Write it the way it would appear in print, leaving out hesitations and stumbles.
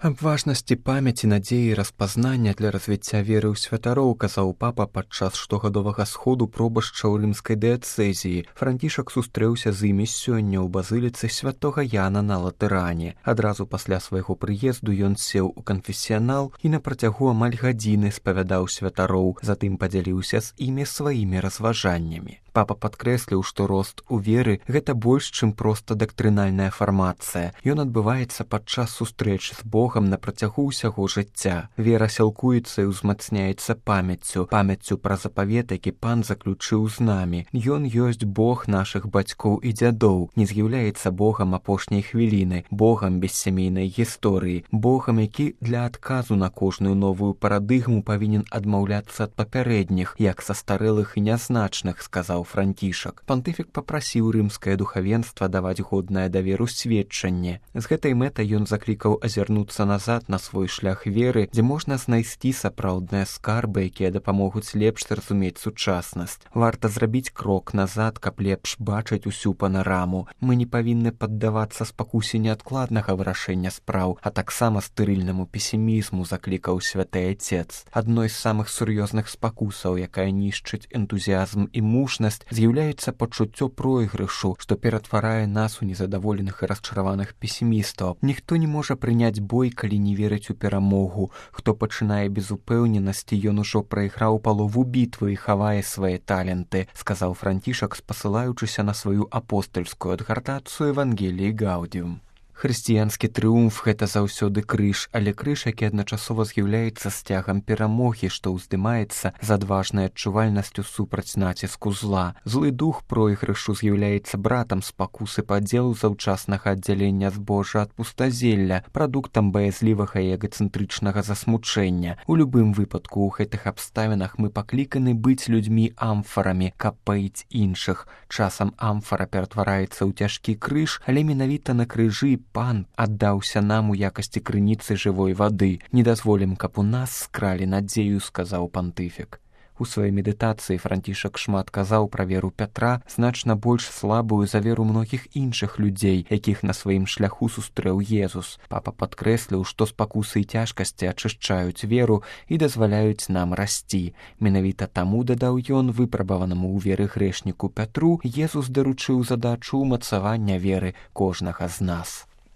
Аб важнасці памяці, надзеі і распазнання для развіцця веры ў святароў казаў папа падчас штогадовага сходу пробашча ў рымскай дыяцэзіі. Францішак сустрэўся з імі сёння ў базыліцы святога Яна на Латэране. Адразу пасля свайго прыезду ён сеў у канфесіянал і на працягу амаль гадзіны спавядаў святароў, затым падзяліўся з імі сваімі разважаннямі. Папа падкрэсліў, што рост у веры – гэта больш, чым проста дактрынальная фармацыя. Ён адбываецца падчас сустрэч з Богам на працягу ўсяго жыцця. Вера сілкуецца і ўзмацняецца памяццю пра запавет, які Пан заключыў з намі. Ён ёсць Бог нашых бацькоў і дзядоў, не з'яўляецца Богам апошняй хвіліны, Богам бессямейнай гісторыі, Богам, які для адказу на кожную новую парадыгму павінен адмаўляцца ад папярэдніх, як састарэлых і нязначных, сказаў Францішак. Пантыфік папрасіў рымскае духавенства даваць годнае даверу сведчанне. З гэтай мэтай ён заклікаў азірнуцца назад на свой шлях веры, дзе можна знайсці сапраўдныя скарбы, якія дапамогуць лепш зразумець сучаснасць. Варта зрабіць крок назад, каб лепш бачыць усю панараму. Мы не павінны паддавацца спакусе неадкладнага вырашэння спраў, а таксама стэрыльнаму песімізму, заклікаў святы Отец. Адной з самых сур'ёзных спакусаў, якая нішчыць энтузіазм і мужнасць, з'яўляецца пачуццё пройгрышу, што ператварае нас у незадаволеных і расчараваных песімістаў. Ніхто не можа прыняць бой, калі не верыць у перамогу. Хто пачынае без упэўненасці, ён ужо прайграў палову бітвы і хавае свае таленты, сказаў Францішак, спасылаючыся на сваю апостальскую адгартацыю Евангеліі Гаудіум. Хрысціянскі трыумф – гэта заўсёды крыж, але крыж, які адначасова з'яўляецца сцягам перамогі, што ўздымаецца з адважнай адчувальнасцю супраць націску зла. Злы дух пройгрышу з'яўляецца братам спакусы падзелу заўчаснага аддзялення збожжа ад пустазелля, прадуктам баязлівага і эгацэнтрычнага засмучэння. У любым выпадку ў гэтых абставінах мы пакліканы быць людзьмі амфарамі, каб паіць іншых. Часам амфара ператвараецца ў цяжкі крыж, але менавіта на крыжы Пан аддаўся нам у якасці крыніцы жывой вады. Не дазволім, каб у нас скралі надзею, сказаў пантыфік. У сваёй медытацыі Францішак шмат казаў пра веру Пятра, значна больш слабую за веру многіх іншых людзей, якіх на сваім шляху сустрэў Езус. Папа падкрэсліў, што спакусы і цяжкасці ачышчаюць веру і дазваляюць нам расці. Менавіта таму, дадаў ён, выпрабаванаму ў веры грэшніку Пятру, Езус даручыў задачу ўмацавання веры кожнага з нас.